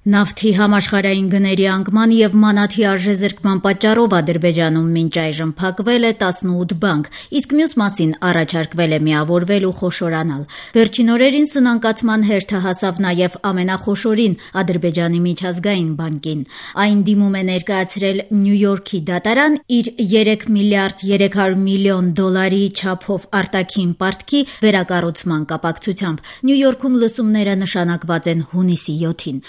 Նավթի համաշխարհային գների անկման եւ մանաթի արժեզրկման պատճառով Ադրբեջանում մինչ այժմ փակվել է 18 բանկ, իսկ մյուս մասին առաջարկվել է միավորվել ու խոշորանալ։ Վերջին օրերին սնանկացման հերթը հասավ նաեւ ամենախոշորին Ադրբեջանի միջազգային բանկին։ Այն դիմում է ներկայացրել Նյու Յորքի դատարան իր $3 միլիարդ 300 միլիոն չափով արտաքին պարտքի վերակառուցման կապակցությամբ։ Նյու Յորքում լսումները նշանակված են հունիսի 7-ին։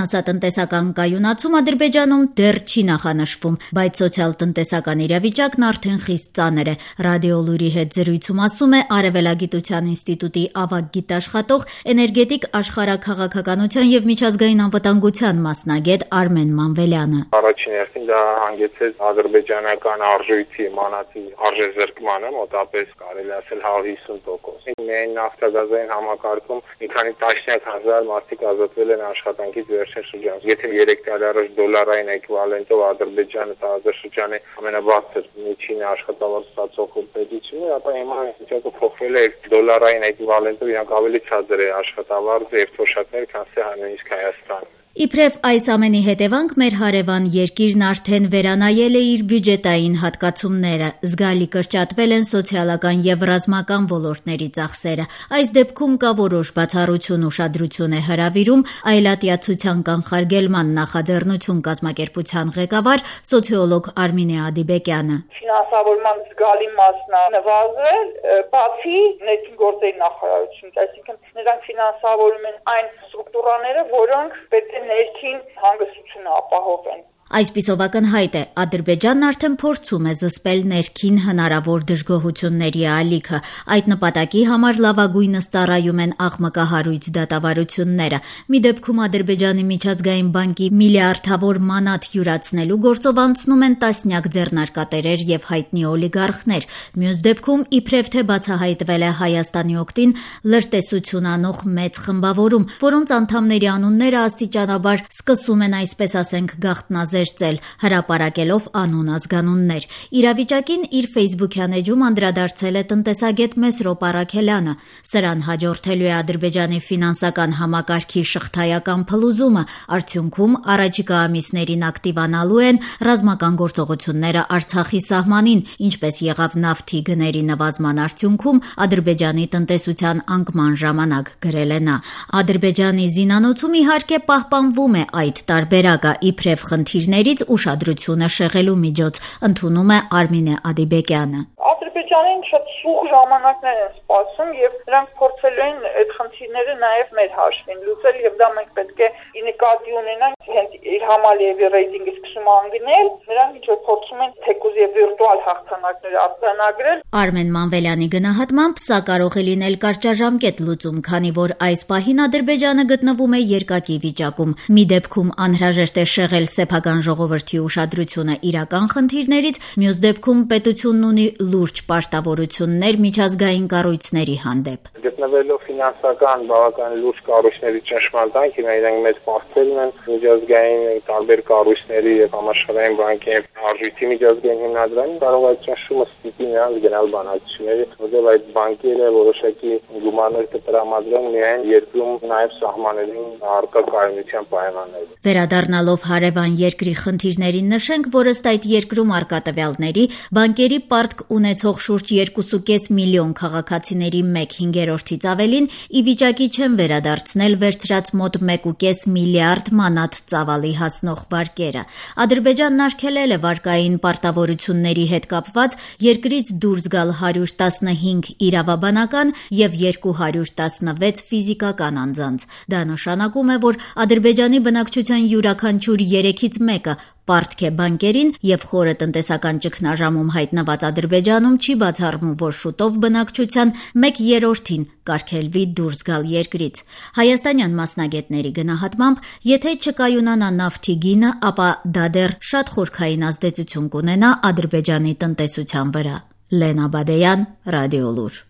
Ֆինանսատնտեսական կայունացում Ադրբեջանում դեռ չի նախանշվում, բայց սոցիալ-տնտեսական իրավիճակն արդեն խիստ ծանր է։ Ռադիոլուրի հետ զրույցում ասում է Արևելագիտության ինստիտուտի ավագ գիտաշխատող, էներգետիկ աշխարհաքաղաքականության եւ միջազգային անվտանգության մասնագետ Արմեն Մանվելյանը։ Առաջին հերթին դա հանգեցրեց ադրբեջանական արժույթի մանաթի արժեզրկմանը, մոտապես կարելի ասել 150%։ Միայն նավթագազային համակարգում մի քանի տասնյակ հազար մարդիկ ազատվել են աշխատանքից վերջին շրջանում։ Եթե 3 տարի առաջ դոլարային էկվիվալենտով Ադրբեջանը տարածաշրջանի ամենաբարձր միջին աշխատավարձ ստացող պետությունն է, ապա հիմա վիճակը փոխվել է դոլարային էկվիվալենտով իրանք ավելի ցածր է աշխատավարձը եւ թոշակները, քան նույնիսկ Հայաստանը։ Իբրև այս ամենի հետևանք մեր հարևան երկիրն արդեն վերանայել է իր բյուջետային հատկացումները, զգալի կրճատվել են սոցիալական եւ ռազմական ոլորտների ծախսերը։ Այս դեպքում կա որոշ բացառություն ուշադրություն է հրավիրում այլատիացության կանխարգելման նախաձեռնություն կազմակերպության ղեկավար սոցիոլոգ Արմինե Ադիբեկյանը։ Ֆինանսավորման զգալի մասն է նվազել, բացի ներքին գործերի նախարարությունից, այսինքն նրանք ֆինանսավորում են այն ստրուկտուրաները, որոնք պետք է ներքին հանգստությունը ապահովեն։ Այսպիսով ակնհայտ է, Ադրբեջանն արդեն փորձում է զսպել ներքին հնարավոր դժգոհությունների ալիքը։ Այդ նպատակի համար լավագույնս ծառայում են աղմկահարույց դատավարությունները։ Մի դեպքում Ադրբեջանի միջազգային բանկի միլիարդավոր մանաթ յուրացնելու գործով անցնում են տասնյակ ձեռնարկատերեր եւ հայտնի օլիգարխներ։ Մյուս դեպքում իբրև թե բացահայտվել է Հայաստանի օգտին լրտեսություն անող մեծ խմբավորում, որոնց անդամների անունները աստիճանաբար սկսում են, այսպես ասենք, գաղտնազերծել, հրապարակելով անուն ազգանուններ։ Իրավիճակին իր ֆեյսբուքյան էջում անդրադարձել է տնտեսագետ Մեսրոպ Առաքելյանը։ Սրան հաջորդելու է Ադրբեջանի ֆինանսական համակարգի շղթայական փլուզումը։ Արդյունքում առաջիկա ամիսներին ակտիվանալու են ռազմական գործողությունները Արցախի սահմանին, ինչպես եղավ նավթի գների նվազման արդյունքում Ադրբեջանի տնտեսության անկման ժամանակ, գրել է նա։ Ադրբեջանի զինանոցում իհարկե պահպանվում է այդ տարբերակը, իբրև խնդիրներից ուշադրությունը շեղելու միջոց, ընդունում է Արմինե Ադիբեկյանը։ Ադրբեջանին շատ սուղ ժամանակներ են սպասում եւ նրանք փորձելու են այդ խնդիրները նաեւ մեր հաշվին լուծել եւ դա մենք պետք է նկատի ունենանք, հենց իր Համալիևի ռեյտինգը սկսում անգնել, նրանք ինչ որ փորձում են թեկուզ եւ վիրտուալ հաղթանակներ արձանագրել։ Արմեն Մանվելյանի գնահատմամբ սա կարող է լինել կարճաժամկետ լուծում, քանի որ այս պահին Ադրբեջանը գտնվում է երկակի վիճակում։ Մի դեպքում անհրաժեշտ է շեղել սեփական ժողովրդի ուշադրությունը իրական խնդիրներից, մյուս դեպքում պետությունն ունի լուրջ պարտավորություններ միջազգային կառույցների հանդեպ։ Գտնվելով ֆինանսական բավական լուրջ կառույցների ճնշմարտանքին, իրենք մեծ պարտքեր ունեն միջազգային տարբեր կառույցների եւ համաշխարհային բանկի արժույթի միջազգային հիմնադրամին, կարող այդ ճնշումը ստիպի նրանց գնալ բանակցությունների, որտեղ այդ բանկերը որոշակի գումարներ կտրամադրեն միայն երկրում նաեւ սահմաններին առկա կայունության պայմաններով։ Վերադառնալով հարևան երկրի խնդիրներին նշենք, որ ըստ այդ երկրում առկա տվյալների բանկերի պարտք ունեցող շուրջ 2.5 միլիոն քաղաքացիների 1/5-ից ավելին ի վիճակի չեն վերադարձնել վերցրած մոտ 1.5 միլիարդ մանաթ ծավալի հասնող վարկերը։ Ադրբեջանն արգելել է վարկային պարտավորությունների հետ կապված երկրից դուրս գալ 115 իրավաբանական եւ 216 ֆիզիկական անձանց։ Դա նշանակում է, որ Ադրբեջանի բնակչության յուրաքանչյուր 3-ից 1-ը պարտք է բանկերին եւ խորը տնտեսական ճգնաժամում հայտնված Ադրբեջանում չի բացառվում, որ շուտով բնակչության 1/3-ին կարգելվի դուրս գալ երկրից։ Հայաստանյան մասնագետների գնահատմամբ, եթե չկայունանա նավթի գինը, ապա դա դեռ շատ խորքային ազդեցություն կունենա Ադրբեջանի տնտեսության վրա։ Լենա Բադեյան, Ռադիոլուր։